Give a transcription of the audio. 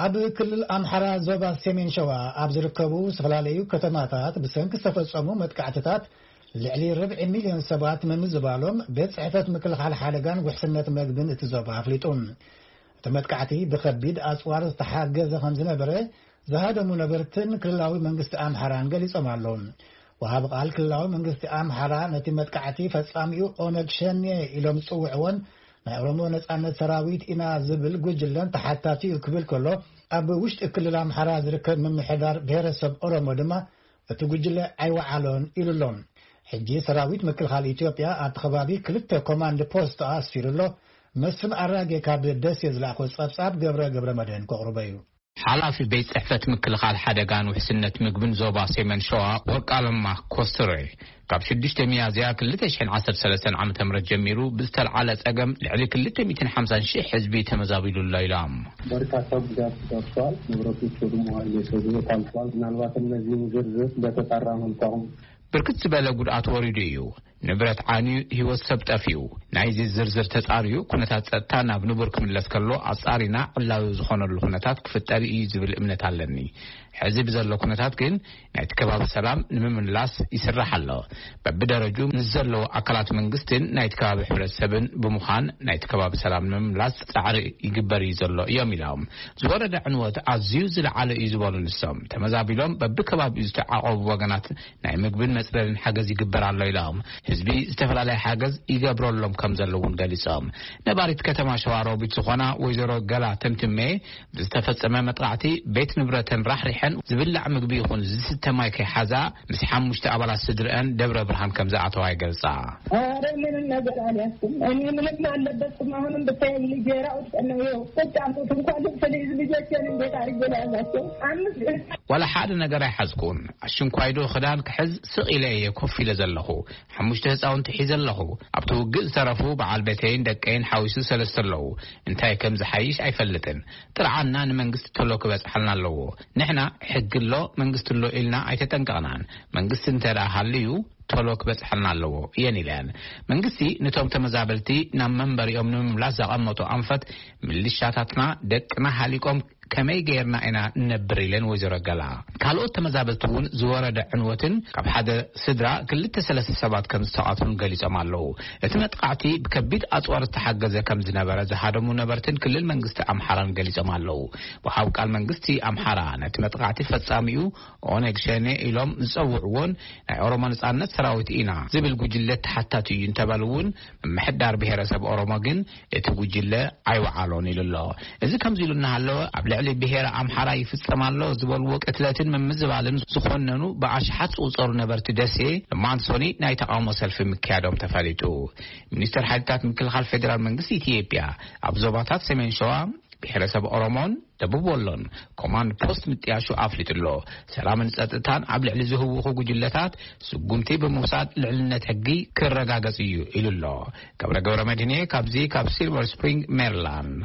ኣብ ክልል ኣምሓራ ዞባ ሰሜን ሸዋ ኣብ ዝርከቡ ዝተፈላለዩ ከተማታት ብሰንኪ ዝተፈጸሙ መጥቃዕትታት ልዕሊ ርብዒ ሚልዮን ሰባት ምምዝባሎም ቤት ጽሕፈት ምክልኻል ሓደጋን ውሕስነት መግብን እቲ ዞባ ኣፍሊጡ። እቲ መጥቃዕቲ ብኸቢድ ኣጽዋር ዝተሓገዘ ከም ዝነበረ ዝሃደሙ ነበርትን ክልላዊ መንግስቲ ኣምሓራን ገሊጾም ኣለዉ። ወሃቢ ቃል ክልላዊ መንግስቲ ኣምሓራ ነቲ መጥቃዕቲ ፈጻሚኡ ኦነግ ሸኔ ኢሎም ዝጽውዕዎን ናይ ኦሮሞ ነጻነት ሰራዊት ኢና ዝብል ጉጅለን ተሓታቲ እዩ ክብል ከሎ፣ ኣብ ውሽጢ ክልል ኣምሓራ ዝርከብ ምምሕዳር ብሔረሰብ ኦሮሞ ድማ እቲ ጉጅለ ኣይወዓሎን ኢሉ ኣሎ። ሕጂ ሰራዊት ምክልኻል ኢትዮጵያ ኣብቲ ከባቢ ክልተ ኮማንድ ፖስት ኣስፊሩ ኣሎ። መስፍን ኣራጌ ካብ ደሴ ዝለኣኾ ጸብጻብ ገብረ ገብረ መድህን ከቕርቦ እዩ። ሓላፊ ቤት ጽሕፈት ምክልኻል ሓደጋን ውሕስነት ምግብን ዞባ ሰሜን ሸዋ ወርቃለማ ኮስትሬ፣ ካብ ሽዱሽተ ሚያዝያ ክልተ ሽሕን ዓሰርተ ሰለስተን ዓመተ ምህረት ጀሚሩ ብዝተልዓለ ጸገም ልዕሊ ክልተ ሚእትን ሓምሳን ሽሕ ህዝቢ ተመዛቢሉ ኣሎ ኢሎም። በርካታ ጉዳት ደርሷል። ንብረቶች ወድመዋል፣ የሰው ህይወት አልፏል። ምናልባት እነዚህን ዝርዝር በተጣራ መልኩ አሁን ብርክት ዝበለ ጉድኣት ወሪዱ እዩ። ንብረት ዓንዩ ህይወት ሰብ ጠፊኡ። ናይዚ ዝርዝር ተጻርዩ ኩነታት ጸጥታ ናብ ንቡር ክምለስ ከሎ ኣጻሪና ዕላዊ ዝኾነሉ ኩነታት ክፍጠር እዩ ዝብል እምነት ኣለኒ። ሕዚ ብዘሎ ኩነታት ግን ናይቲ ከባቢ ሰላም ንምምላስ ይስራሕ ኣሎ። በብደረጁ ምስ ዘለዉ ኣካላት መንግስትን ናይቲ ከባቢ ሕብረተሰብን ብምዃን ናይቲ ከባቢ ሰላም ንምምላስ ጻዕሪ ይግበር እዩ ዘሎ እዮም ኢሎም። ዝወረደ ዕንወት ኣዝዩ ዝለዓለ እዩ ዝበሉ ንሶም፣ ተመዛቢሎም በብከባቢኡ ዝተዓቆቡ ወገናት ናይ ምግብን መጽለልን ሓገዝ ይግበር ኣሎ ኢሎም። ህዝቢ ዝተፈላለየ ሓገዝ ይገብረሎም ከም ዘለውን ገሊጾም። ነባሪት ከተማ ሸዋሮቢት ዝኾና ወይዘሮ ገላ ተምትሜ ብዝተፈጸመ መጥቃዕቲ ቤት ንብረተን ራሕሪሐን ዝብላዕ ምግቢ ይኹን ዝስተ ማይ ከይሓዛ ምስ ሓሙሽተ ኣባላት ስድርአን ደብረ ብርሃን ከም ዝኣተዋ ይገልጻ። ኧረ ምንም ነገር አልያዝኩም። እኔ ምንም አልለበስኩም። አሁንም ብታይ ልጄ ራቁት ቀን ነው። ይኸው ቁጭ አልኩት። እንኳን ልብስ ልይዝ ልጆቼን እንዴት አድርጌ ላያዛቸው? አምስት ዋላ ሓደ ነገር ኣይሓዝኩን። ኣሽንኳይዶ ክዳን ክሕዝ ስቕ ኢለ እየ ኮፍ ኢለ ዘለኹ። ሓሙሽተ ህፃውንቲ ሒዘ ኣለኹ። ኣብቲ ውግእ ዝተረፉ በዓል ቤተይን ደቀይን ሓዊሱ ሰለስተ ኣለዉ። እንታይ ከም ዝሓይሽ ኣይፈልጥን። ጥርዓንና ንመንግስቲ ቶሎ ክበጽሓልና ኣለዎ። ንሕና ሕጊ ኣሎ መንግስቲ ኣሎ ኢልና ኣይተጠንቀቕናን። መንግስቲ እንተ ደኣ ሃልዩ ቶሎ ክበጽሓልና ኣለዎ እየን ኢለን። መንግስቲ ነቶም ተመዛበልቲ ናብ መንበሪኦም ንምምላስ ዘቐመጦ ኣንፈት፣ ምልሻታትና ደቅና ሃሊቆም ከመይ ገይርና ኢና ንነብር ኢለን ወይዘሮ ገላ። ካልኦት ተመዛበልቲ እውን ዝወረደ ዕንወትን ካብ ሓደ ስድራ ክልተ ሰለስተ ሰባት ከም ዝተቓትሉን ገሊጾም ኣለዉ። እቲ መጥቃዕቲ ብከቢድ ኣጽዋር ዝተሓገዘ ከም ዝነበረ ዝሃደሙ ነበርትን ክልል መንግስቲ ኣምሓራን ገሊጾም ኣለዉ። ወሃብ ቃል መንግስቲ ኣምሓራ ነቲ መጥቃዕቲ ፈጻሚኡ ኦነግ ሸኔ ኢሎም ዝጸውዕዎን ናይ ኦሮሞ ነጻነት ሰራዊት ኢና ዝብል ጉጅለ ተሓታቲ እዩ እንተበሉ እውን፣ ምምሕዳር ብሔረሰብ ኦሮሞ ግን እቲ ጉጅለ ኣይወዓሎን ኢሉ ኣሎ። እዚ ከምዚ ኢሉ እናሃለወ፣ ኣብ ልዕሊ ብሔረ ኣምሓራ ይፍጸም ኣሎ ዝበልዎ ቅትለትን ምምዝባልን ዝኾነኑ ብኣሽሓት ዝቑጸሩ ነበርቲ ደሴ፣ ሎማዕንቲ ሰኑይ ናይ ተቓውሞ ሰልፊ ምክያዶም ተፈሊጡ። ሚኒስተር ሓይልታት ምክልኻል ፌደራል መንግስቲ ኢትዮጵያ ኣብ ዞባታት ሰሜን ሸዋ፣ ብሔረሰብ ኦሮሞን ደቡብ ወሎን ኮማንድ ፖስት ምጥያሹ ኣፍሊጡ ኣሎ። ሰላምን ጸጥታን ኣብ ልዕሊ ዝህውኹ ጉጅለታት ስጉምቲ ብምውሳድ ልዕልነት ሕጊ ክረጋገጽ እዩ ኢሉ ኣሎ። ገብረ ገብረ መድህኔ ካብዚ ካብ ሲልቨር ስፕሪንግ ሜሪላንድ።